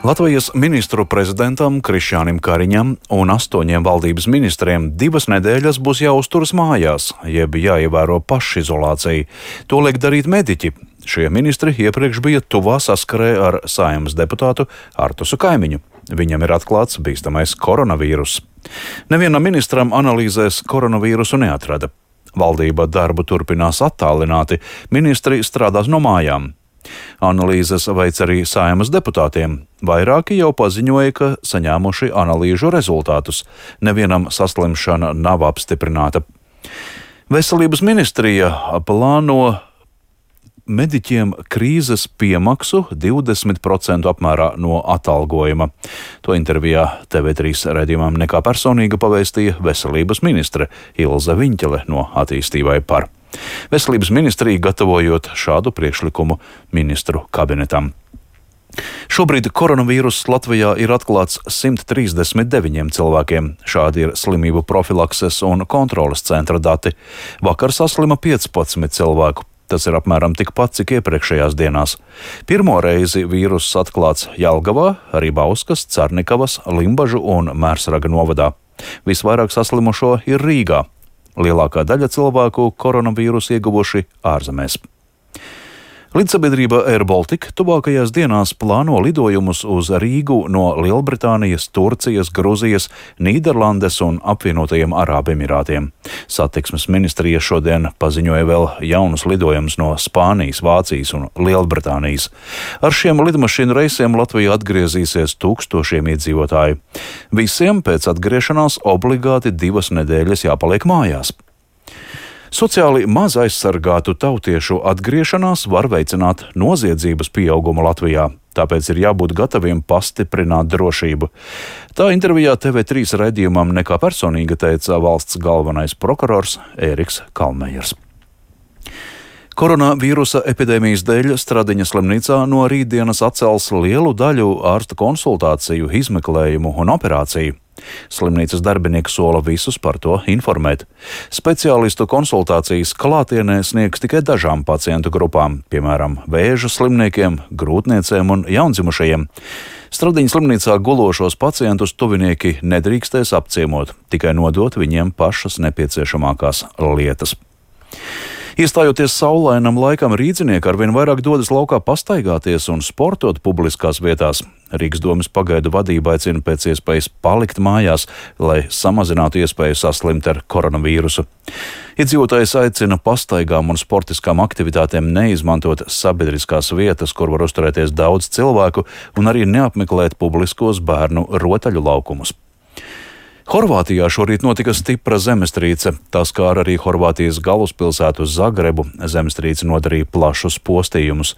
Latvijas ministru prezidentam Krišjānim Kariņam un 8 valdības ministriem 2 nedēļas būs jāuzturas mājās, jeb jāievēro pašizolācija. To liek darīt mediķi. Šie ministri iepriekš bija tuvā saskarē ar Saeimas deputātu Artusu Kaimiņu. Viņam ir atklāts bīstamais koronavīruss. Nevienam ministram analīzēs koronavīrusu neatrada. Valdība darbu turpinās attālināti, ministri strādās no mājām. Analīzes veic arī Saeimas deputātiem. Vairāki jau paziņoja, ka saņēmuši analīžu rezultātus. Nevienam saslimšana nav apstiprināta. Veselības ministrija plāno mediķiem krīzes piemaksu 20% apmērā no atalgojuma. To intervijā TV3 raidījumam Nekā personīga pavēstīja veselības ministre Ilze Viņķele no Attīstībai par. Veselības ministrija gatavojot šādu priekšlikumu ministru kabinetam. Šobrīd koronavīruss Latvijā ir atklāts 139 cilvēkiem. Šādi ir slimību profilakses un kontroles centra dati. Vakar saslima 15 cilvēku. Tas ir apmēram tikpat, cik iepriekšējās dienās. Pirmo reizi vīruss atklāts Jelgavā, arī Bauskas, Carnikavas, Limbažu un Mērsraga novadā. Visvairāk saslimušo ir Rīgā. Lielākā daļa cilvēku koronavīrusu ieguvuši ārzemēs. Lidsabiedrība Air Baltica tuvākajās dienās plāno lidojumus uz Rīgu no Lielbritānijas, Turcijas, Gruzijas, Nīderlandes un apvienotajiem Arābu Emirātiem. Satiksmes ministrija šodien paziņoja vēl jaunus lidojumus no Spānijas, Vācijas un Lielbritānijas. Ar šiem lidmašīnu reisiem Latvijā atgriezīsies tūkstošiem iedzīvotāju. Visiem pēc atgriešanās obligāti 2 nedēļas jāpaliek mājās. Sociāli maz aizsargātu tautiešu atgriešanās var veicināt noziedzības pieaugumu Latvijā, tāpēc ir jābūt gataviem pastiprināt drošību. Tā intervijā TV3 raidījumam Nekā personīga teica valsts galvenais prokurors Ēriks Kalmejers. Koronavīrusa epidēmijas dēļ Stradiņa slimnīcā no rītdienas atcels lielu daļu ārsta konsultāciju, izmeklējumu un operāciju. Slimnīcas darbinieki sola visus par to informēt. Speciālistu konsultācijas klātienē sniegs tikai dažām pacientu grupām, piemēram, vēža slimniekiem, grūtniecēm un jaundzimušajiem. Stradiņa slimnīcā gulošos pacientus tuvinieki nedrīkstēs apciemot, tikai nodot viņiem pašas nepieciešamākās lietas. Iestājoties saulainam laikam, rīdzinieki arvien vairāk dodas laukā pastaigāties un sportot publiskās vietās. Rīgas domes pagaidu vadība aicina pēc iespējas palikt mājās, lai samazinātu iespēju saslimt ar koronavīrusu. Iedzīvotājs aicina pastaigām un sportiskām aktivitātēm neizmantot sabiedriskās vietas, kur var uzturēties daudz cilvēku, un arī neapmeklēt publiskos bērnu rotaļu laukumus. Horvātijā šorīt notika stipra zemestrīce. Tā skāra arī Horvātijas galvaspilsētu Zagrebu. Zemestrīce nodarīja plašus postījumus.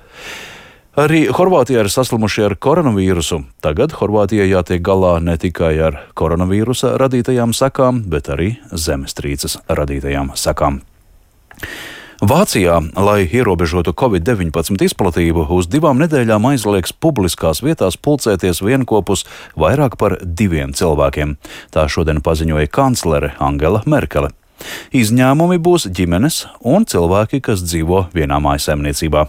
Arī Horvātijā ir saslimuši ar koronavīrusu. Tagad Horvātijai jātiek galā ne tikai ar koronavīrusa radītajām sekām, bet arī zemestrīces radītajām sekām. Vācijā, lai ierobežotu Covid-19 izplatību, uz 2 nedēļām aizliegs publiskās vietās pulcēties vienkopus vairāk par 2 cilvēkiem. Tā šodien paziņoja kanclere Angela Merkele. Izņēmumi būs ģimenes un cilvēki, kas dzīvo vienā mājsaimniecībā.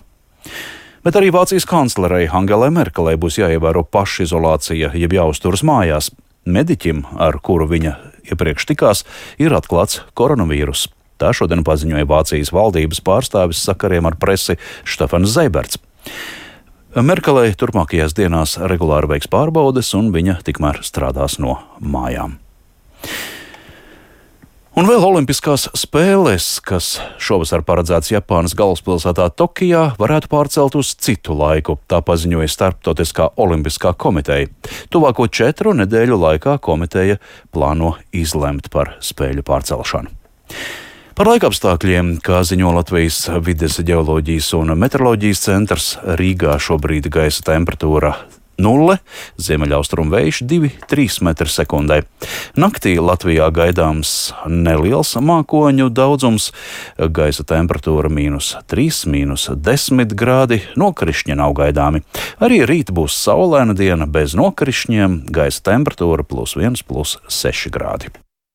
Bet arī Vācijas kanclerei Angelai Merkelei būs jāievēro pašizolācija, jeb jāuzturas mājās. Mediķim, ar kuru viņa iepriekš tikās, ir atklāts koronavīruss. Tā šodien paziņoja Vācijas valdības pārstāvis sakariem ar presi Štefans Zeiberts. Merkelei turpmākajās dienās regulāri veiks pārbaudes, un viņa tikmēr strādās no mājām. Un vēl olimpiskās spēles, kas šovasar paredzēts Japānas galvaspilsētā Tokijā, varētu pārcelt uz citu laiku. Tā paziņoja Starptautiskā olimpiskā komiteja. Tuvāko 4 nedēļu laikā komiteja plāno izlemt par spēļu pārcelšanu. Par laikapstākļiem, kā ziņo Latvijas vides ģeoloģijas un meteoroloģijas centrs, Rīgā šobrīd gaisa temperatūra 0, ziemeļaustrumu vējš 2–3 m/sekundē. Naktī Latvijā gaidāms neliels mākoņu daudzums, gaisa temperatūra -3, -10 grādi, nokrišņi nav gaidāmi. Arī rīt būs saulaina diena bez nokrišņiem, gaisa temperatūra +1, +6 grādi.